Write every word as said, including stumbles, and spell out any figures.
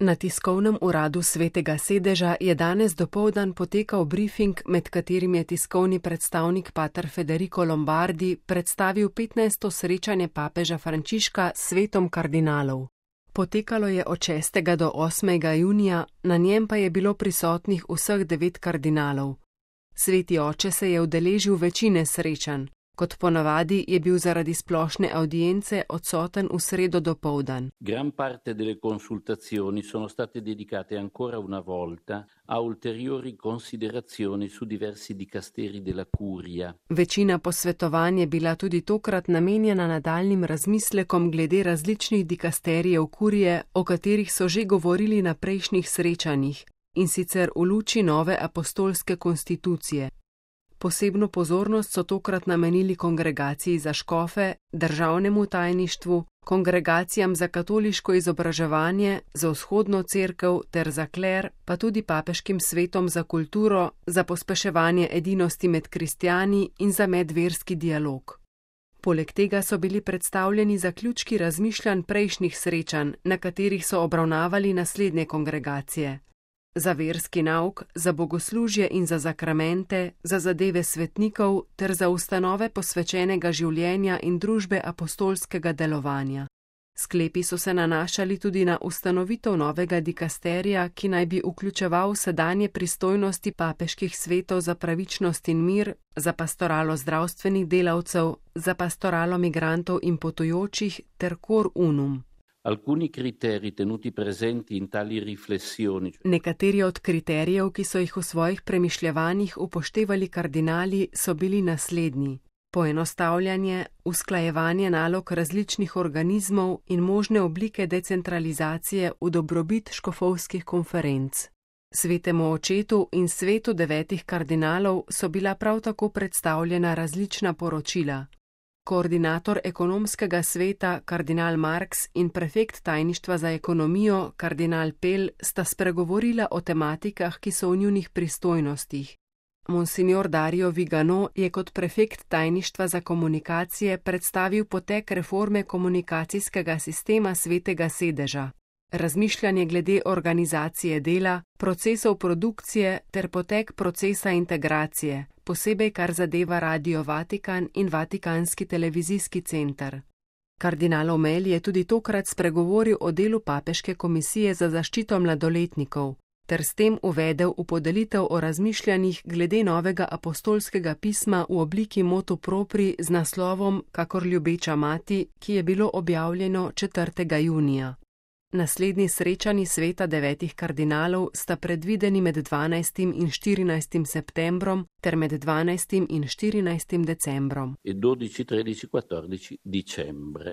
Na tiskovnem uradu Svetega sedeža je danes dopoldan potekal brifing, med katerim je tiskovni predstavnik pater Federico Lombardi predstavil petnajsto srečanje papeža Frančiška s svetom kardinalov. Potekalo je od šestega do osmega junija, na njem pa je bilo prisotnih vseh devet kardinalov. Sveti oče se je udeležil večine srečanj. Kot ponavadi je bil zaradi splošne audience odsoten v sredo dopoldan. Gran parte delle consultazioni sono state dedicate ancora una volta a ulteriori considerazioni su diversi dicasteri della curia. Večina posvetovanj je bila tudi tokrat namenjena nadaljnjim razmislekom glede različnih dikasterijev kurije, o katerih so že govorili na prejšnjih srečanjih, in sicer v luči nove apostolske konstitucije. Posebno pozornost so tokrat namenili kongregaciji za škofe, državnemu tajništvu, kongregacijam za katoliško izobraževanje, za vzhodno cerkev ter za kler, pa tudi papeškim svetom za kulturo, za pospeševanje edinosti med kristjani in za medverski dialog. Poleg tega so bili predstavljeni zaključki razmišljanj prejšnjih srečanj, na katerih so obravnavali naslednje kongregacije. Za verski nauk, za bogoslužje in za zakramente, za zadeve svetnikov ter za ustanove posvečenega življenja in družbe apostolskega delovanja. Sklepi so se nanašali tudi na ustanovitev novega dikasterija, ki naj bi vključeval sedanje pristojnosti papeških svetov za pravičnost in mir, za pastoralo zdravstvenih delavcev, za pastoralo migrantov in potujočih ter cor unum. Alcuni criteri tenuti presenti in tali riflessioni. Nekateri od kriterijev, ki so jih v svojih premišljevanjih upoštevali kardinali, so bili naslednji: poenostavljanje, usklajevanje nalog različnih organizmov in možne oblike decentralizacije v dobrobit škofovskih konferenc. Svetemu očetu in svetu devetih kardinalov so bila prav tako predstavljena različna poročila. Koordinator ekonomskega sveta, kardinal Marks, in prefekt tajništva za ekonomijo, kardinal Pell, sta spregovorila o tematikah, ki so v njunih pristojnostih. Monsignor Dario Vigano je kot prefekt tajništva za komunikacije predstavil potek reforme komunikacijskega sistema Svetega sedeža, razmišljanje glede organizacije dela, procesov produkcije ter potek procesa integracije, posebej kar zadeva Radio Vatikan in Vatikanski televizijski center. Kardinal Omel je tudi tokrat spregovoril o delu Papeške komisije za zaščito mladoletnikov, ter s tem uvedel v podelitev o razmišljanjih glede novega apostolskega pisma v obliki motu propri z naslovom Kakor ljubeča mati, ki je bilo objavljeno četrtega junija. Naslednji srečanji sveta devetih kardinalov sta predvideni med dvanajstim in štirinajstim septembrom ter med dvanajstim in štirinajstim decembrom. E dodici, tredici, quattordici dicembre.